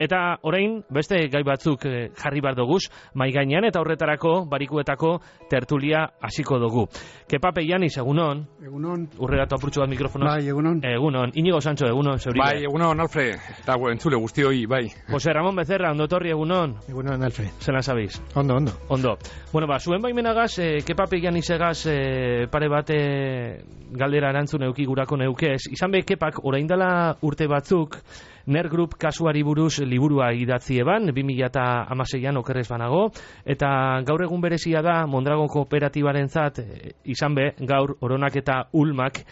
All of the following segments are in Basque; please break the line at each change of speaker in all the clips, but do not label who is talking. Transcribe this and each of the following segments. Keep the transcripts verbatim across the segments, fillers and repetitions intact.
Eta orain beste gai batzuk jarri bar doguz mai gainean eta horretarako barikuetako tertulia hasiko dugu. Kepa Peianis, egunon.
Egunon.
Urreratu apurtxo bat mikrofonoz.
Bai, egunon.
Egunon. Inigo Sancho, egunon, zeuri.
Bai, egunon, Alfred. Eta entzule guztioi, bai.
Jose Ramon Becerra, ondo torri, egunon.
Egunon, Alfred.
Zelan sabiz?
Ondo, ondo.
Ondo. Bueno, ba, zuen baimenagaz, eh, Kepa Peianisegaz eh, pare bate galdera erantzun euki gurako neukez. Izan be, Kepak, orain dela urte batzuk, Ner Group kasuari buruz liburua idatzi eban, bi mila hamaseian okerrez banago, eta gaur egun berezia da Mondragon kooperatibaren zat, izan be, gaur Oronak eta Ulmak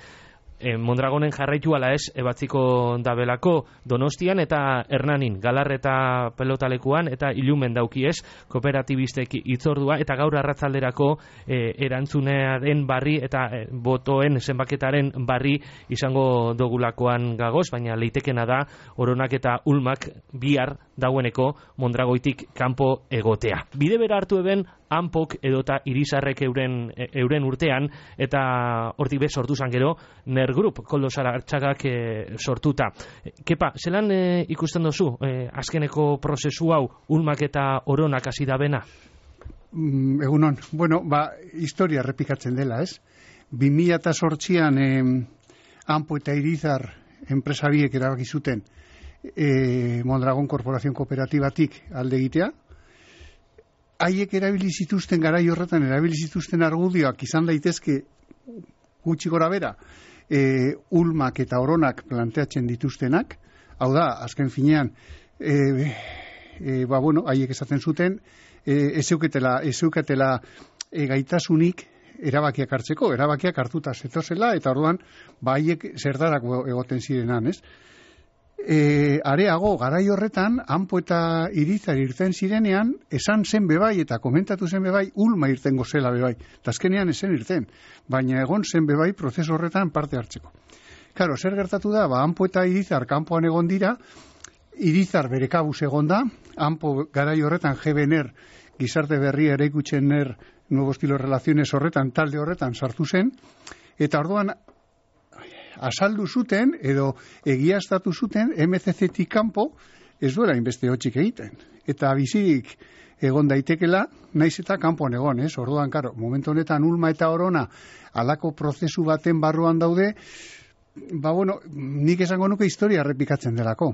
e, Mondragonen jarraitu ala ez, ebatziko dabelako Donostian eta Hernanin, Galar eta Pelotalekuan, eta Ilumen daukiez, kooperatibistek itzordua, eta gaur arratzalderako e, erantzunearen barri eta e, botoen zenbaketaren barri izango dogulakoan gagoz, baina leitekena da Oronak eta Ulmak bihar daueneko Mondragoitik kanpo egotea. Bide bera hartu eben Anpok edota Irizarrek euren, euren urtean, eta hortik bez sortu zan gero Ner Group, Koldo Sarartxagak e, sortuta. Kepa, zelan e, ikusten dozu e, azkeneko prozesu hau Ulmak eta Oronak hasi da bena?
Mm, egunon, bueno, ba, historia errepikatzen dela, ez? bi mila zortzian eh, Anpo eta Irizar enpresabiek erabaki zuten eh, Mondragon Korporazio Kooperatibatik alde egitea. Haiek erabili zituzten garai horretan, erabili zituzten argudioak izan daitezke gutxi gora bera, e, Ulmak eta Oronak planteatzen dituztenak, hau da, azken finean, e, e, ba, bueno, haiek esaten zuten, e, ezeuketela, ezeuketela e, gaitasunik erabakiak hartzeko, erabakiak hartuta zetozela, eta orduan, ba, haiek zerdarako egoten zirenan, ez? E, areago, garai horretan, Anpo eta Irizar irten zirenean, esan zen bebai eta komentatu zen bebai, Ulma irtengo zela bebai. Eta azkenean esen irten, baina egon zen bebai prozesu horretan parte hartzeko. Karo, zer gertatu da, ba, Anpo eta Irizar kanpoan egon dira, Irizar bere kabuz egon da, Anpo garai horretan G B N R, gizarte berria eraikutzen ner, nuevo estilo relaciones horretan, talde horretan sartu zen, eta orduan, azaldu zuten, edo egiaztatu zuten, M C C-tik kanpo ez duela inbeste hotxik egiten. Eta bizik egon daitekela, naiz eta kanpoan egon, ez? Orduan, karo, momentu honetan Ulma eta Orona alako prozesu baten barruan daude, ba, bueno, nik esango nuke historia errepikatzen delako.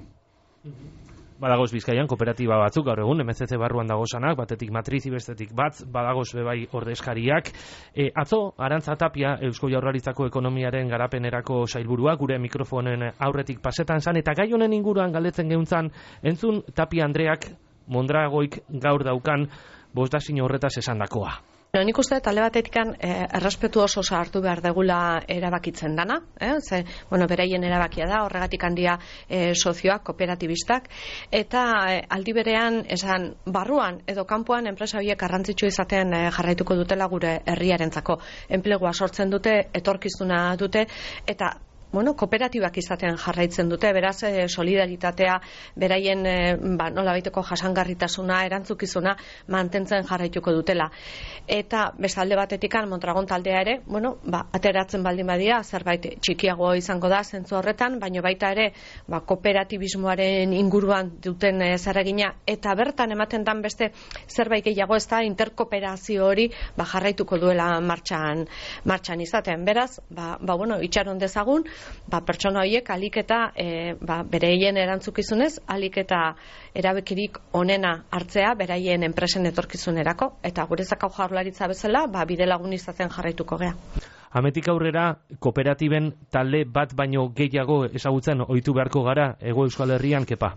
Badagoz Bizkaian kooperatiba batzuk, gaur egun, M C C barruan dagozanak, batetik matrizi, bestetik bat, badagoz bebai ordezkariak. E, atzo, Arantza Tapia, Eusko Jaurlaritzako ekonomiaren garapenerako sailburua, gure mikrofonen aurretik pasetan zan, eta gai honen inguruan galdetzen geuntzan, entzun Tapia Andreak Mondragoik gaur daukan bostazin horretaz esandakoa.
No, nik uste talde batetikan eh, errespetu oso hartu behar degula erabakitzen dana, eh? Ze, bueno, beraien erabakia da, horregatik handia eh, sozioak, kooperatibistak, eta eh, aldi berean esan barruan edo kanpoan enpresa horiek garrantzitsu izaten eh, jarraituko dutela gure herriarentzako. Enplegua sortzen dute, etorkizuna dute, eta bueno, kooperatibak izaten jarraitzen dute, beraz, eh, solidaritatea, beraien, eh, ba, nola baiteko jasangarritasuna, erantzukizuna, mantentzen jarraituko dutela. Eta, bestalde batetikan, Mondragon taldea ere, bueno, ba, ateratzen baldin badia, zerbait txikiago izango da, zentzu horretan, baina baita ere, ba, kooperatibismoaren inguruan duten eh, zerregina, eta bertan ematen dan beste zerbait gehiago ez da, interkooperazio hori, ba, jarraituko duela martxan, martxan izaten. Beraz, ba, ba bueno, itxaron dezagun, ba, pertsona horiek alik eta e, ba, bereien erantzukizunez, alik eta erabekirik onena hartzea beraien enpresen etorkizunerako, eta guretzako Jaurlaritza bezala, ba, bide lagun izaten jarraituko gea.
Ametik aurrera, kooperatiben talde bat baino gehiago ezagutzen ohitu beharko gara, Hego Euskal Herrian, Kepa?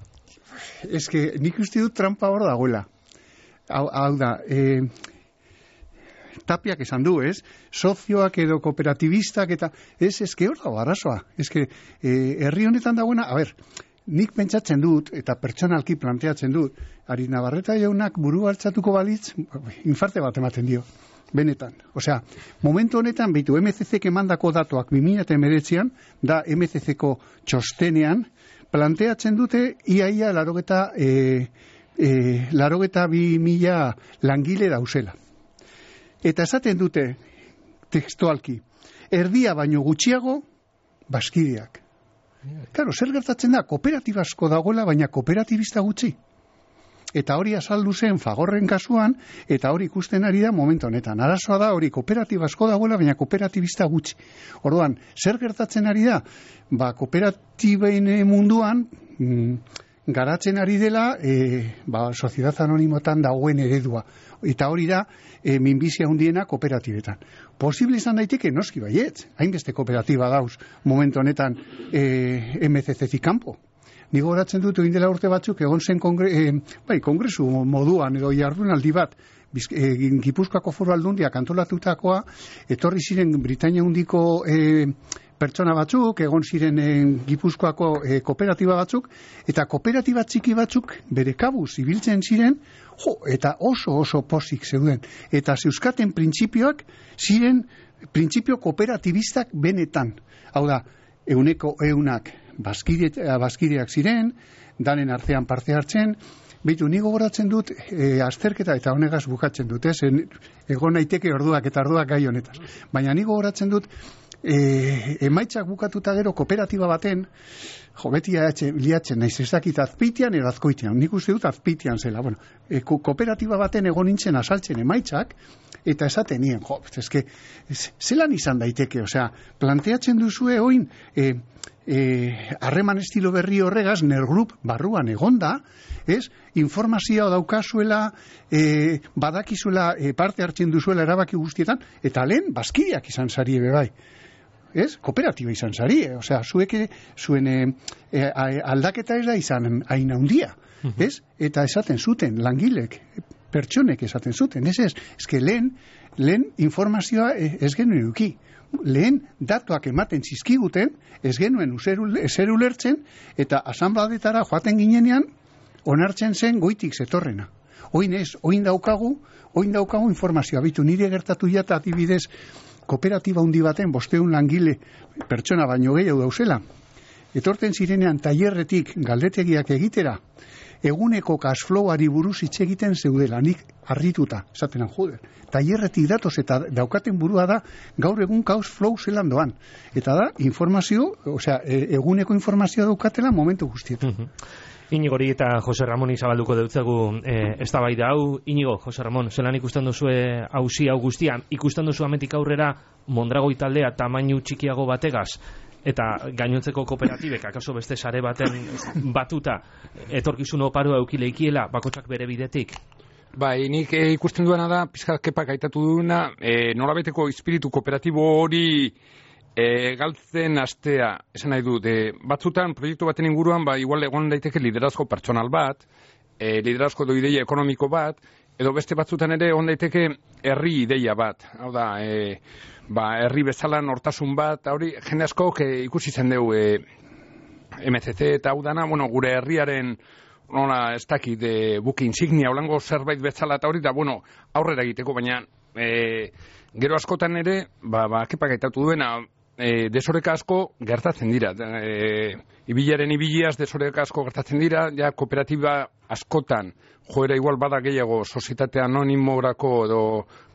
Ez que nik uste dut trampa hor dagoela. Hau, hau da, e, Tapiak esan du, ez? Sozioak edo kooperatibistak eta ez, ez que hor dago arazoa. Ez que eh, herri honetan dagoena, a ber, nik pentsatzen dut eta pertsonalki planteatzen dut, Ari Navarreta jaunak buru hartzatuko balitz, infarte bat ematen dio, benetan. Osea, momentu honetan, behitu, M C C-ek emandako datuak bi mila hemeretzian, da M C C-ko txostenean, planteatzen dute iaia larogeta, e, e, larogeta bi mila langile dauzela. Eta esaten dute, tekstualki, erdia baino gutxiago, Baskideak. Claro, zer gertatzen da, kooperatiba asko dagoela, baina kooperatibista gutxi. Eta hori azaldu zen Fagorren kasuan, eta hori ikusten ari da momentu honetan. Arazoa da hori kooperatiba asko dagoela, baina kooperatibista gutxi. Orduan, zer gertatzen ari da? Ba, kooperatiben munduan mm, garatzen ari dela e, ba, soziedad anonimotan dagoen eredua. Eta hori da e, minbizia hundiena kooperatibetan. Posible izan daiteke noski baietz, hainbeste kooperatiba dauz momentu honetan e, M C C-zik kanpo. Ni gogoratzen dut egin dela urte batzuk egon zen kongre, eh, bai, kongresu moduan edo jardunaldi bat eh, Gipuzkoako Foru Aldundiak antolatutakoa, etorri ziren Britainia Handiko eh, pertsona batzuk, egon ziren eh, Gipuzkoako eh, kooperatiba batzuk, eta kooperatiba txiki batzuk bere kabuz ibiltzen ziren, jo, eta oso oso pozik zeuden. Eta zeuzkaten printzipioak ziren printzipio kooperatibistak benetan. Hau da, euneko eunak Baskide, baskideak ziren, danen artean parte hartzen, behitu, ni gogoratzen dut e, azterketa eta honegaz bukatzen dut, ez? Egon naiteke orduak eta orduak gai honetaz. Baina ni gogoratzen dut, e, emaitzak bukatuta gero kooperatiba baten, jo, beti liatzen naiz, ez dakit azpitian edo azkoitian, nik uste dut azpitian zela. Bueno, e, ko, kooperatiba baten egon nintzen asaltzen emaitzak, eta esaten nien, jo, eske, zelan izan daiteke, osea, planteatzen duzue oin, e, harreman estilo berri horregaz, nergrup barruan egonda, ez? Informazioa daukazuela, e, badakizuela e, parte hartzen duzuela erabaki guztietan, eta lehen bazkideak izan zarie bebai. Ez? Kooperatiba izan zarie. Osea, zuek zuen e, e, aldaketa ez da izan hain handia. Ez? Eta esaten zuten, langilek, pertsonek esaten zuten. Ez ez, ezke lehen, lehen informazioa ez genuen eduki. Lehen datuak ematen zizkiguten, ez genuen ezer ulertzen, eta asanbladetara joaten ginenean, onartzen zen goitik zetorrena. Oin ez, oin daukagu, oin daukagu informazioa. Bitu, nire gertatu jata adibidez, kooperatiba handi baten, bosteun langile pertsona baino gehiago dauzela. Etorten zirenean tailerretik galdetegiak egitera, eguneko cashflowari buruz hitz egiten zeudela, nik harrituta, esatenan jude. Tailerretik datoz eta daukaten burua da gaur egun cashflow zelan doan. Eta da, informazio, osea, eguneko informazioa daukatela momentu guztietan.
Uh-huh. Inigori eta Jose Ramoni zabalduko deutzagu eh, eztabaida hau. Inigo, Jose Ramon, zelan ikusten duzue auzi hau guztian, ikusten duzu ametik aurrera Mondragoi taldea tamainu txikiago bategaz, eta gainontzeko kooperatibek, akaso beste sare baten batuta, etorkizun oparoa eukileikiela, bakotsak bere bidetik?
Bai, nik e, ikusten duena da, pizkat kepak aitatu duena, e, nolabeteko espiritu kooperatibo hori e, galtzen astea, esan nahi dut, e, batzutan, proiektu baten inguruan, ba, igual egon daiteke liderazko pertsonal bat, e, liderazko edo ideia ekonomiko bat, edo beste batzutan ere egon daiteke herri ideia bat, hau da, e, ba, herri bezala nortasun bat, hori jende askok e, ikusi zen dugu e, M C C eta hau dana, bueno, gure herriaren nola ez dakit e, buki insignia holango zerbait bezala eta hori da, bueno, aurrera egiteko, baina e, gero askotan ere, ba, ba kepak aitatu duena, e, desoreka asko gertatzen dira. E, ibilaren ibiliaz desoreka asko gertatzen dira, ja kooperatiba askotan, joera igual bada gehiago sozietate anonimorako edo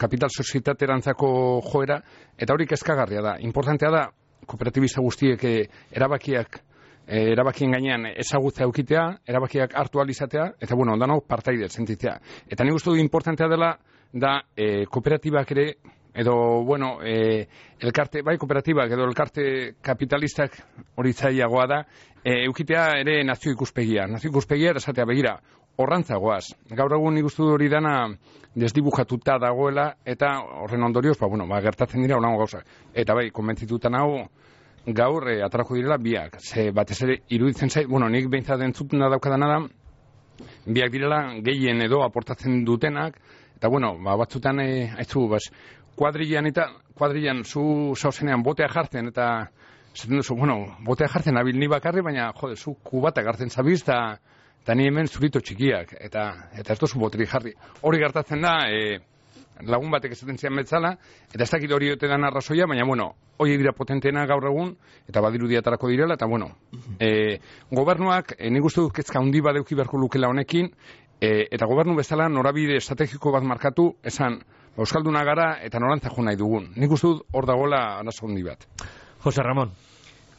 kapital sozietaterantzako joera, eta hori kezkagarria da. Importantea da, kooperatibista guztiek e, erabakiak E, erabakien gainean ezagutza eukitea, erabakiak hartu alizatea, eta bueno, ondanok partaide sentitzea. Eta nik uste du importantea dela, da e, kooperatibak ere, edo, bueno, e, elkarte, bai kooperatibak edo elkarte kapitalistak hori zailagoa da, e, eukitea ere nazio ikuspegia. Nazio ikuspegia esatea begira, horrantzagoaz. Gaur egun nik uste du hori dana desdibujatuta dagoela, eta horren ondorioz, ba, bueno, ba, gertatzen dira holango gauzak. Eta bai, konbentzitutan hau, gaur e, atrako direla biak, ze batez ere iruditzen zait, bueno, nik behintzat entzutena daukadana da, biak direla gehien edo aportatzen dutenak, eta bueno, ba, batzutan e, haitzu, bas, kuadrillan eta, kuadrillan zu zauzenean botea jartzen, eta zaten duzu, bueno, botea jartzen abil ni bakarri, baina, jode, zu kubatak hartzen zabiz, eta, eta ni hemen zurito txikiak, eta, eta ez duzu boteri jarri. Hori gertatzen da, e, lagun batek esaten zian betzala, eta ez dakit hori ote dan arrazoia, baina, bueno, hori dira potenteena gaur egun, eta badirudiatarako direla, eta, bueno, e, gobernuak, e, nik uste dut kezka handi badeuki beharko lukela honekin, e, eta gobernu bezala norabide estrategiko bat markatu, esan, euskalduna gara, eta norantza jo nahi dugun. Nik uste dut hor dagoela arazo handi bat.
Jose Ramon.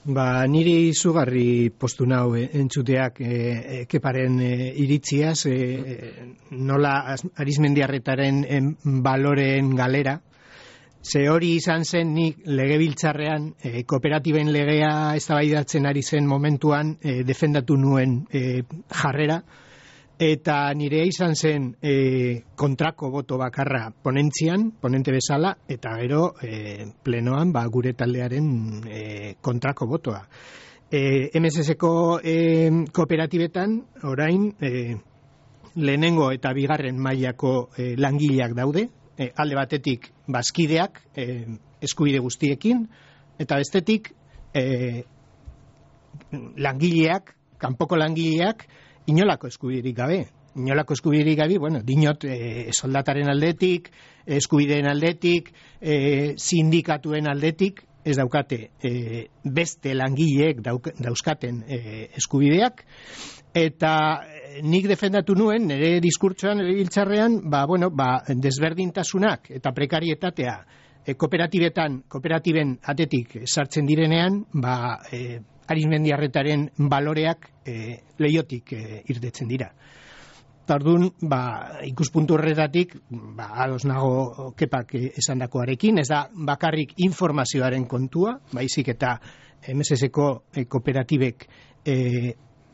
Ba, niri izugarri postu nau eh, entzuteak eh, Keparen eh, iritziaz, eh, nola Arizmendiarretaren eh, baloreen galera. Ze hori izan zen nik legebiltzarrean eh, kooperatiben legea eztabaidatzen ari zen momentuan eh, defendatu nuen eh, jarrera, eta nire izan zen e, kontrako boto bakarra ponentzian, ponente bezala, eta gero e, plenoan ba, gure taldearen e, kontrako botoa. E, M S S-ko e, kooperatibetan orain e, lehenengo eta bigarren mailako e, langileak daude, e, alde batetik bazkideak e, eskubide guztiekin, eta bestetik e, langileak, kanpoko langileak, inolako eskubiderik gabe. Inolako eskubiderik gabe, bueno, dinot e, soldataren aldetik, eskubideen aldetik, e, sindikatuen aldetik, ez daukate e, beste langileek dauk, dauzkaten e, eskubideak, eta nik defendatu nuen, nire diskurtsoan, nire biltzarrean, ba, bueno, ba, desberdintasunak eta prekarietatea e, kooperatibetan, kooperatiben atetik sartzen direnean, ba, e, Arizmendiarretaren baloreak e, leiotik e, irtetzen dira. Tardun, ba, ikuspuntu horretatik, ba, ados nago Kepak esandakoarekin, ez da bakarrik informazioaren kontua, baizik eta M S S-ko e, kooperatibek e,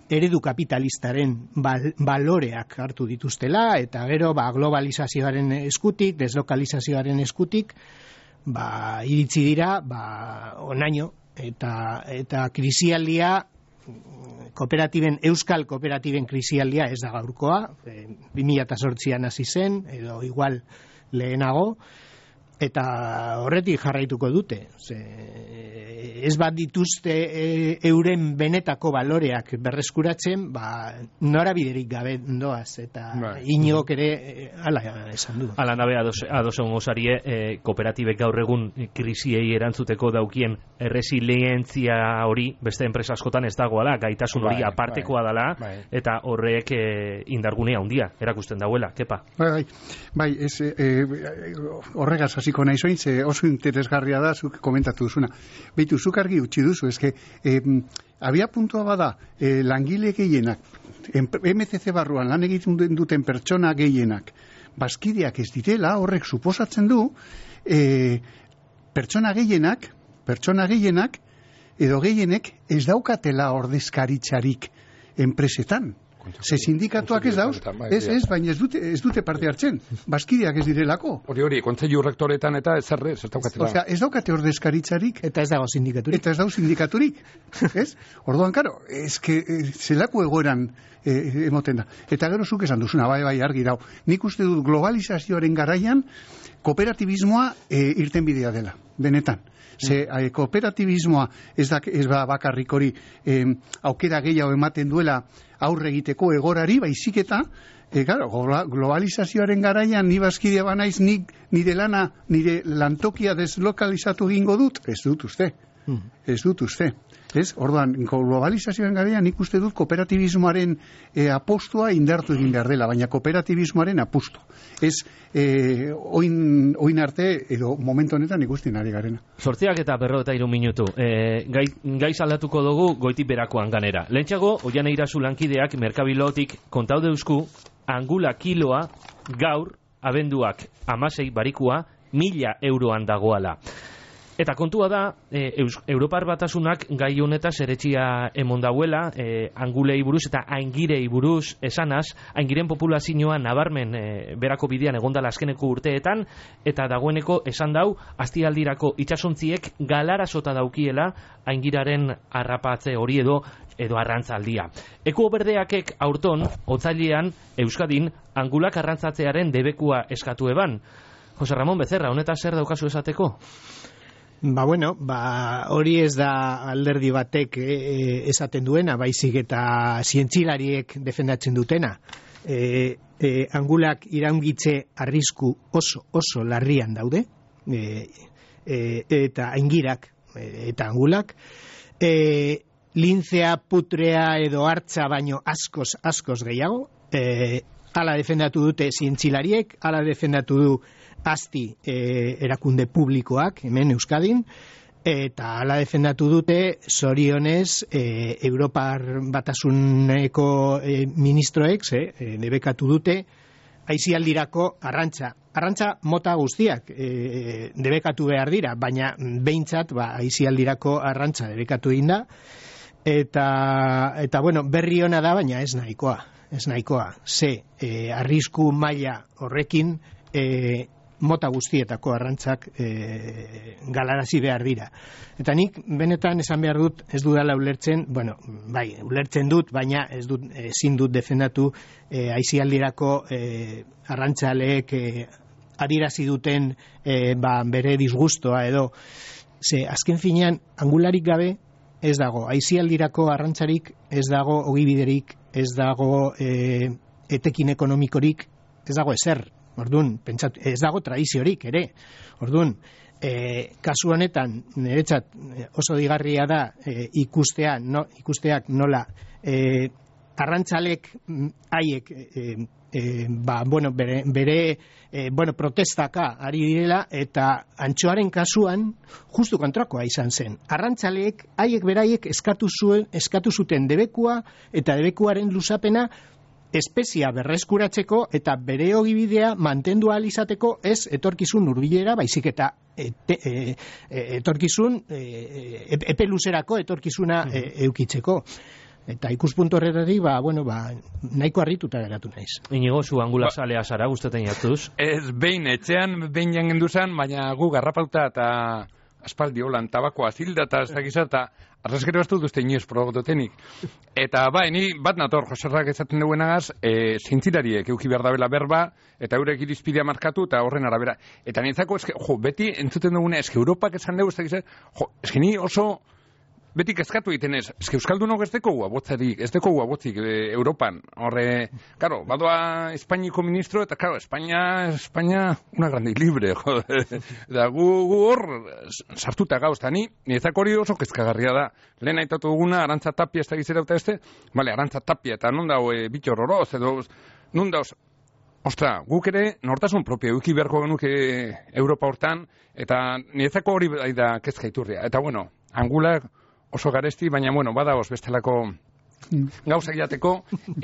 eredu kapitalistaren bal, baloreak hartu dituztela, eta gero ba, globalizazioaren eskutik, deslokalizazioaren eskutik, ba, iritzi dira, ba, onaino, eta eta krisialdia kooperatiben euskal kooperatiben krisialdia ez da gaurkoa, e, bi mila zortzian hasi zen edo igual lehenago, eta horretik jarraituko dute. Ze, ez bat dituzte e, euren benetako baloreak berreskuratzen, ba, norabiderik gabe doaz, eta right. Inigok ere e, ala esan du.
Ala nabe adoson osarie, e, kooperatibek gaur egun krisiei erantzuteko daukien resilientzia hori beste enpresa askotan ez dagoela, gaitasun hori bai, apartekoa bai, dela, bai. Eta horrek e, indargunea handia erakusten dauela, Kepa.
Bai, bai, bai ez, e, horregaz hasiko naiz orain, ze oso interesgarria da zuk komentatu duzuna. Beitu, zuk argi utzi duzu, eske eh, abia puntua bada eh, langile gehienak, M C C barruan lan egiten duten pertsona gehienak, bazkideak ez direla, horrek suposatzen du eh, pertsona gehienak, pertsona gehienak, edo gehienek ez daukatela ordezkaritzarik enpresetan. Ze sindikatuak ez dauz, ez, ez, baina ez dute, ez dute parte hartzen, bazkideak ez direlako.
Hori hori, kontseilu rektoretan eta ez zerrez, ez daukatela.
Osea, ez daukate ordezkaritzarik.
Eta ez dago sindikaturik.
Eta ez dago sindikaturik, ez? Orduan, karo, ez que zelako egoeran eh, emoten da. Eta gero zuk esan duzuna, bai, bai, argi dau. Nik uste dut globalizazioaren garaian, kooperatibismoa eh, irten bidea dela, benetan. Ze eh, kooperatibismoa ez da ez ba bakarrik hori eh, aukera gehiago ematen duela aurre egiteko egorari, baizik eta e, claro, globalizazioaren garaian ni bazkidea banaiz, nik nire lana, nire lantokia deslokalizatu egingo dut, ez dut uste. Hmm. Ez dut uste. Ez? Orduan, globalizazioaren garaian nik uste dut kooperatibismoaren e, apostua indartu egin behar dela, baina kooperatibismoaren apustu. Ez e, oin, oin arte, edo momentu honetan ikusten ari garena.
Sortziak eta berro eta iru minutu. E, gai, gai saldatuko dugu goitik berakoan ganera. Lehentxago, Oiane Irazu lankideak Merkabilotik kontau deusku, angula kiloa gaur, abenduak amasei barikua, mila euroan dagoala. Eta kontua da, e, Eus, Europar Batasunak gai honetaz eretxia emon dauela, e, angulei buruz eta aingirei buruz esanaz, aingiren populazioa nabarmen e, berako bidean egondala azkeneko urteetan, eta dagoeneko esan dau, astialdirako itxasontziek galarasota daukiela aingiraren harrapatze hori edo edo arrantzaldia. Eko berdeakek aurton, otzailean, Euskadin, angulak arrantzatzearen debekua eskatu eban. Jose Ramon Becerra, honetaz zer daukazu esateko?
Ba bueno, ba hori ez da alderdi batek e, esaten duena, baizik eta zientzilariek defendatzen dutena. E, e, angulak iraungitze arrisku oso oso larrian daude, e, e, eta aingirak e, eta angulak, e, lintzea, putrea edo hartza baino askoz askoz gehiago. E, hala defendatu dute zientzilariek, hala defendatu du Asti eh, erakunde publikoak hemen Euskadin, Eta hala defendatu dute, zorionez, e, Europar Batasuneko e, ministroek, e, debekatu dute, aisialdirako arrantza. Arrantza mota guztiak e, debekatu behar dira, baina behintzat ba, aisialdirako arrantza debekatu egin da, eta, eta bueno, berri ona da, baina ez nahikoa. Ez nahikoa. Ze, e, arrisku maila horrekin, e, mota guztietako arrantzak e, galarazi behar dira. Eta nik benetan esan behar dut ez dudala ulertzen, bueno, bai, ulertzen dut, baina ez dut, ezin dut defendatu e, aisialdirako e, arrantzaleek e, adirazi duten e, ba, bere disgustoa edo. Ze, azken finean, angularik gabe ez dago, aisialdirako arrantzarik ez dago ogibiderik, ez dago e, etekin ekonomikorik, ez dago ezer. Orduan, pentsatu, ez dago tradiziorik ere. Orduan, e, kasu honetan niretzat oso digarria da e, ikustea, no, ikusteak nola e, arrantzalek haiek e, e, ba, bueno, bere, bere e, bueno, protestaka ari direla eta antxoaren kasuan justu kontrakoa izan zen. Arrantzaleek haiek beraiek eskatu zuen, eskatu zuten debekua eta debekuaren luzapena espezia berreskuratzeko eta bere ogibidea mantendu ahal izateko ez etorkizun hurbilera, baizik eta ete, e, e, etorkizun e, epe luzerako etorkizuna e, eukitzeko. Eta ikuspuntu horretatik, ba, bueno, ba, nahiko harrituta geratu naiz.
Inigo, zu angulasалea zara, guztetan jatuz?
Ez, behin, etxean, behin jangen duzan, baina gu garrapauta eta aspaldi holan tabakoa zilda eta ez dakiza eta arrezkero bastu duzte inoiz progototenik. Eta bai, ni bat nator, Joserrak ezaten duenagaz, e, zintzilariek euki behar dabela berba, eta eurek irizpidea markatu, eta horren arabera. Eta nintzako, eske, jo, beti entzuten dugune, eske Europak esan dugu, ez dakiza, jo, eske ni oso beti kezkatu egiten ez, eske Euskaldunok ez deko guabotzarik, ez deko guabotzik e, Europan. Horre, karo, badoa Espainiko ministro, eta karo, Espainia, Espainia, una grande y libre, jode. Eta gu, gu hor, sartuta gauz, eta ni, niretzako hori oso kezkagarria da. Lehen aitatu duguna, Arantza Tapia ez da gizera eta este, bale, Arantza Tapia, eta non dago e, bitxor horoz, edo, non dauz, ostra, guk ere, nortasun propio, euki beharko genuke Europa hortan, eta niretzako hori da kezka iturria. Eta bueno, angulak, oso garesti, baina, bueno, badagoz bestelako gauzak jateko,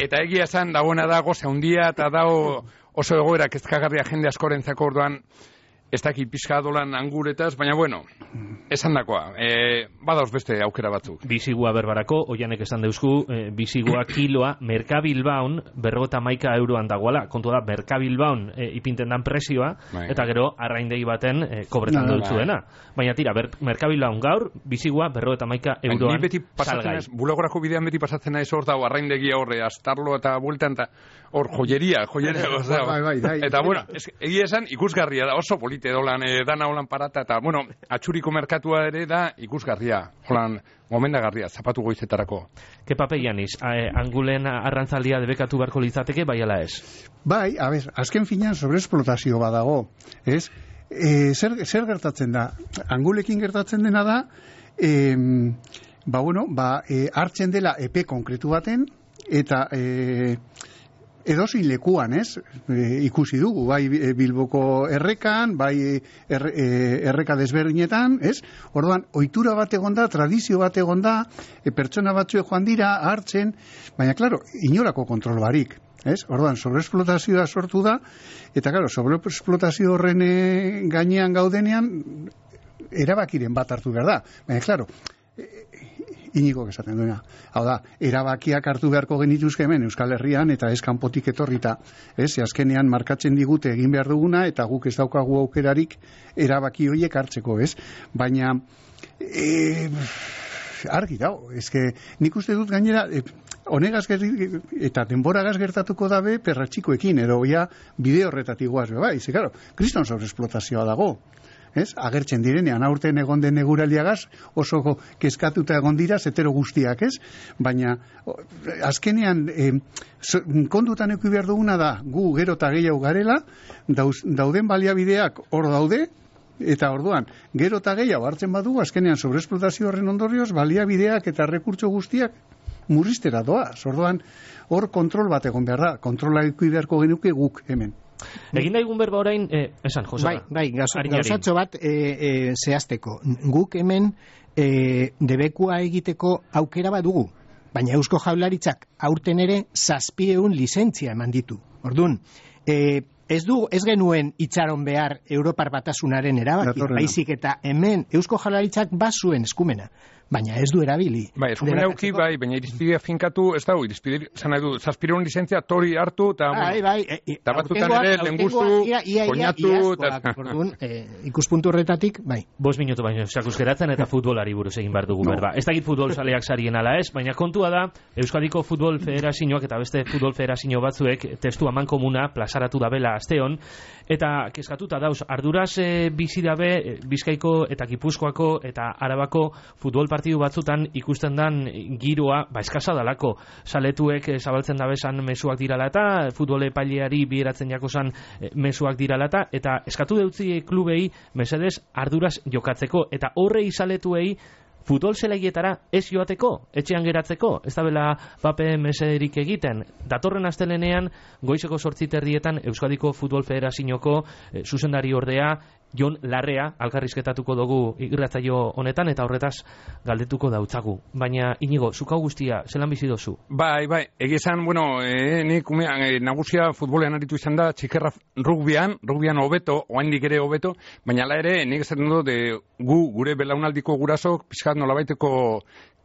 eta egia esan, dagoena da, goze handia, eta dago oso egoera kezkagarria jende askorentzako orduan, ez dakit pixka dolan anguretaz, baina, bueno, esan dakoa, e, badauz beste aukera batzuk.
Bizigua berbarako, oianek esan deuzku, e, bizigua kiloa, Merkabilbaun, berrogota maika euroan dagoela, kontu da, Merkabilbaun e, ipinten dan presioa,
Bai.
eta gero, arraindegi baten e, kobretan
No,
dutzuena. Baina tira, ber, Merkabilbaun gaur, bizigua berrogota maika euroan
Ni beti pasatzen
salgai.
naiz, bulagorako bidean beti pasatzen naiz hor dago arraindegia horre, astarlo eta bueltan, eta hor joyeria, joyeria,
Bai, bai, bai, bai.
eta bueno, es, egia esan ikusgarria da, oso polite dolan, e, dana holan parata, eta bueno, atxuriko merkatua ere da ikusgarria, holan, gomendagarria, zapatu goizetarako.
Ke pape Janis, e, angulen arrantzaldia debekatu beharko litzateke, bai ala ez?
Bai, a ber, azken finean sobreesplotazio badago, ez? E, zer, zer gertatzen da? Angulekin gertatzen dena da, e, ba, bueno, ba, e, hartzen dela epe konkretu baten, eta e, edozein lekuan, ez? E, ikusi dugu, bai Bilboko errekan, bai erre, e, erreka desberdinetan, ez? Orduan, ohitura bat egonda, tradizio bat egonda, e, pertsona batzuek joan dira, hartzen, baina, klaro, inolako kontrol barik. Ez? Orduan, sobreesplotazioa sortu da, eta claro, sobreesplotazio horren e, gainean gaudenean erabakiren bat hartu behar da. Baina, claro, e, Inigo esaten duena. Hau da, erabakiak hartu beharko genituzke hemen Euskal Herrian eta ez kanpotik etorrita. Ez, azkenean markatzen digute egin behar duguna eta guk ez daukagu aukerarik erabaki horiek hartzeko, ez? Baina, e, argi dago, ezke nik uste dut gainera, e, honegaz gertatuko, eta denboragaz gertatuko dabe perratxikoekin, edo ja bide horretatik guaz, bai, ze, claro, kriston sobreesplotazioa dago. Ez? Agertzen direnean, aurten egon den eguraldiagaz, oso kezkatuta egon dira, zetero guztiak, ez? Baina, azkenean, e, so, kondutan eki behar duguna da, gu gero eta gehiago garela, dauz, dauden baliabideak hor daude, eta orduan, gero eta gehiago hartzen badugu, azkenean, sobreesplotazio horren ondorioz, baliabideak eta rekurtso guztiak murriztera doaz. Orduan, hor kontrol bat egon behar da, kontrola eki beharko genuke guk hemen.
Egin daigun berba orain, eh, esan, Jose.
Bai, bai, gauzatxo bat e, e, zehazteko. Guk hemen e, debekua egiteko aukera bat dugu, baina Eusko Jaurlaritzak aurten ere zazpieun lizentzia eman ditu. Orduan, e, ez du, ez genuen itxaron behar Europar Batasunaren erabaki, baizik eta hemen Eusko Jaurlaritzak bazuen eskumena, baina ez du erabili.
Bai, eskumena auki, bai, baina irizpidea finkatu, ez dago, irizpidea, zan nahi du, zazpireun lizentzia tori hartu, eta
bai, bai,
eta batzutan ere, lengustu, koinatu,
eta ikuspuntu horretatik, bai.
Bos minutu baino, sakuz geratzen eta futbolari buruz egin behar dugu, berba. Ez dakit futbol saleak sarien ala ez, baina kontua da, Euskadiko Futbol Federazioak eta beste futbol federazio batzuek testu amankomuna plazaratu dabela asteon, eta kezkatuta dauz, arduraz e, bizi dabe Bizkaiko eta Gipuzkoako eta Arabako futbol partidu batzutan ikusten dan giroa, ba eskasa dalako, saletuek e, zabaltzen dabesan mezuak dirala eta futbol epaileari biheratzen jakosan e, mezuak dirala eta eta eskatu deutzi klubei mesedez arduraz jokatzeko, eta horrei saletuei futbol zelaietara ez joateko, etxean geratzeko, ez da bela pape meserik egiten. Datorren astelenean, goizeko sortzi terdietan Euskadiko Futbol Federazioko eh, zuzendari ordea, Jon Larrea, alkarrizketatuko dugu irratzaio honetan, eta horretaz galdetuko dautzagu. Baina, Inigo, zukau guztia, zelan bizi dozu?
Bai, bai, egizan, bueno, e, nik umean, e, nagusia futbolean aritu izan da, txikerra rugbian, rugbian hobeto, oaindik ere hobeto, baina ala ere, nik esaten du, de gu, gure belaunaldiko gurasok, pixkat nolabaiteko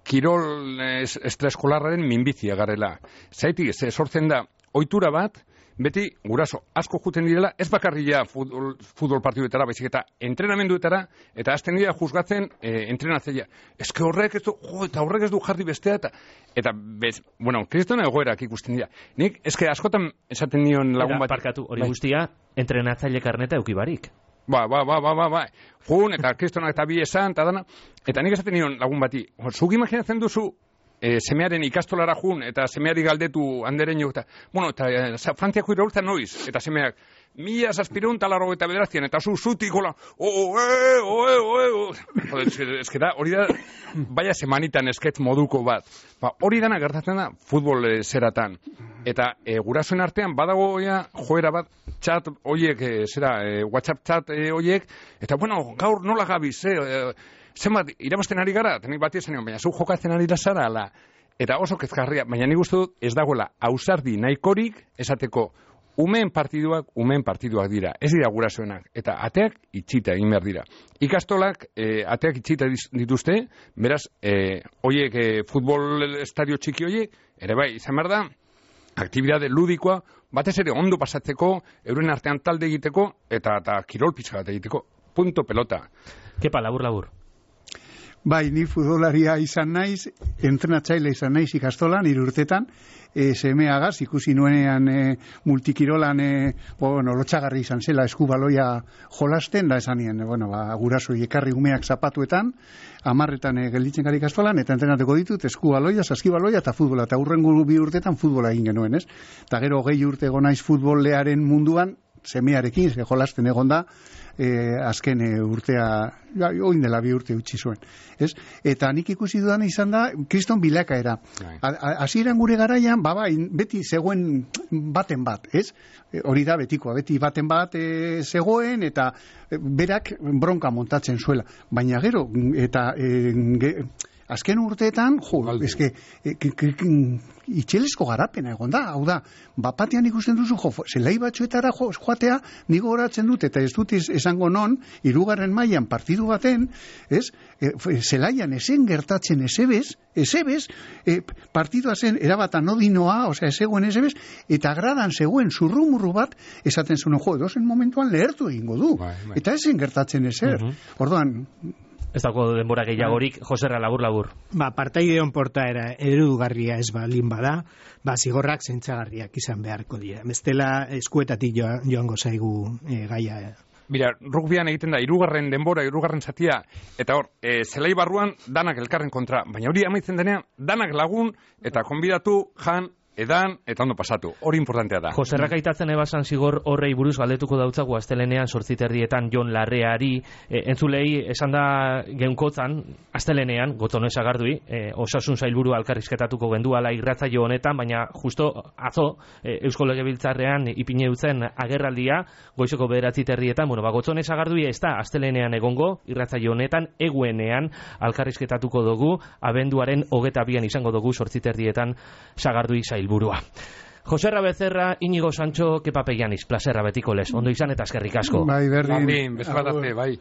kirol es, estreskolarraren minbizia garela. Zaitik, ze sortzen da, ohitura bat, beti guraso asko juten direla, ez bakarria futbol, futbol partidetara, baizik eta entrenamenduetara, eta azten dira juzgatzen e, entrenatzeia. Ez que horrek ez du, jo, eta horrek ez du jarri bestea, eta, eta bez, bueno, kristona egoerak ikusten dira. Nik, ez que askotan esaten nion lagun bat.
Parkatu, hori guztia, entrenatzaile karneta eukibarik.
Ba, ba, ba, ba, ba, ba. Jun, eta kristonak eta bi esan, eta dana. Eta nik esaten nion lagun bati, zuk imaginatzen duzu, E, semearen ikastolara jun, eta semeari galdetu andereño, eta, bueno, eta e, Frantziako iraultza noiz, eta semeak, mila zazpireun talarro eta bederazien, eta zu zutik gola, oe, oe, oe, ez da, hori da, baina semanitan esketz moduko bat. Ba, hori dana gertatzen da, futbol e, zeratan. Eta e, gurasoen artean badago ja, joera bat, chat oiek, e, zera, e, WhatsApp chat e, oiek, eta, bueno, gaur nola gabiz, eh, e, zenbat, irabazten ari gara, tenik bat izan, baina zu jokatzen ari da zara, ala. Eta oso kezkarria, baina nik uste dut ez dagoela ausardi nahikorik esateko umeen partiduak, umeen partiduak dira, ez dira gurasoenak, eta ateak itxita egin behar dira. Ikastolak e, ateak itxita dituzte, beraz, e, oiek e, futbol estadio txiki oiek, ere bai, izan behar da, aktibidade ludikoa, batez ere ondo pasatzeko, euren artean talde egiteko, eta, eta kirol pizka bat egiteko, punto pelota.
Kepa, labur, labur.
Bai, ni futbolaria izan naiz, entrenatzaile izan naiz ikastolan, hiru urtetan, e, semeagaz, ikusi nuenean e, multikirolan, e, bueno, lotxagarri izan zela eskubaloia jolasten, da esanien, bueno, ba, guraso ekarri umeak zapatuetan, amarretan e, gelditzen gara ikastolan, eta entrenateko ditut eskubaloia, saskibaloia eta futbola, eta hurrengo bi urtetan futbola egin genuen, ez? Eta gero gehi urte gonaiz futbolearen munduan, semearekin, ze jolasten egon da, E, azken e, urtea, ja, oin dela bi urte utzi zuen, ez? Eta nik ikusi dudan izan da, kriston bilakaera. Hasieran gure garaian, ba, bai, beti zegoen baten bat, ez? E, hori da betikoa, beti baten bat e, zegoen, eta e, berak bronka montatzen zuela. Baina gero, eta e, ge, azken urteetan, jo, eske, e, itxelesko garapena egon da, hau da, bapatean ikusten duzu, jo, zelai batzuetara jo, joatea, nigo horatzen dut, eta ez dut esango non, hirugarren mailan partidu baten, ez, e, zelaian esen gertatzen esebez, esebez, e, partidua zen, erabata nodinoa, osea, ezegoen esebez, eta gradan zegoen zurrumurru bat, esaten zuen, jo, edozen momentuan lehertu egingo du, bai, bai. Eta esen gertatzen ezer, uh-huh. Orduan,
ez dago denbora gehiagorik, Joserra, labur, labur.
Ba, partaideon portaera eredugarria ez balin bada, ba, zigorrak zentzagarriak izan beharko dira. Bestela eskuetatik joan, joango zaigu e, gaia.
Mira, rugbian egiten da, hirugarren denbora, hirugarren zatia, eta hor, e, zelai barruan danak elkarren kontra, baina hori amaitzen denean, danak lagun, eta konbidatu, jan, edan, eta ondo pasatu. Hori importantea da.
Joserrak aitatzen ebasan zigor horrei buruz galdetuko dautzagu astelenean sortziterdietan Jon Larreari, e, entzulei esan da geunkotzan, astelenean, Gotzone Sagardui, e, osasun sailburu alkarrizketatuko genduala irratzaio honetan, baina justo atzo, e, Eusko Legebiltzarrean ipine dutzen agerraldia, goizeko bederatzi terrietan, bueno, ba, Gotzone Sagardui ez da astelenean egongo, irratzaio honetan, eguenean alkarrizketatuko dugu, abenduaren hogeta bian izango dugu sortziterdietan Sagardui sailburua. Joserra Becerra, Inigo Sancho, Kepa Peianiz, plazerra betiko lez, ondo izan eta eskerrik asko.
Bai, berdin.
Berdin, bezala bai.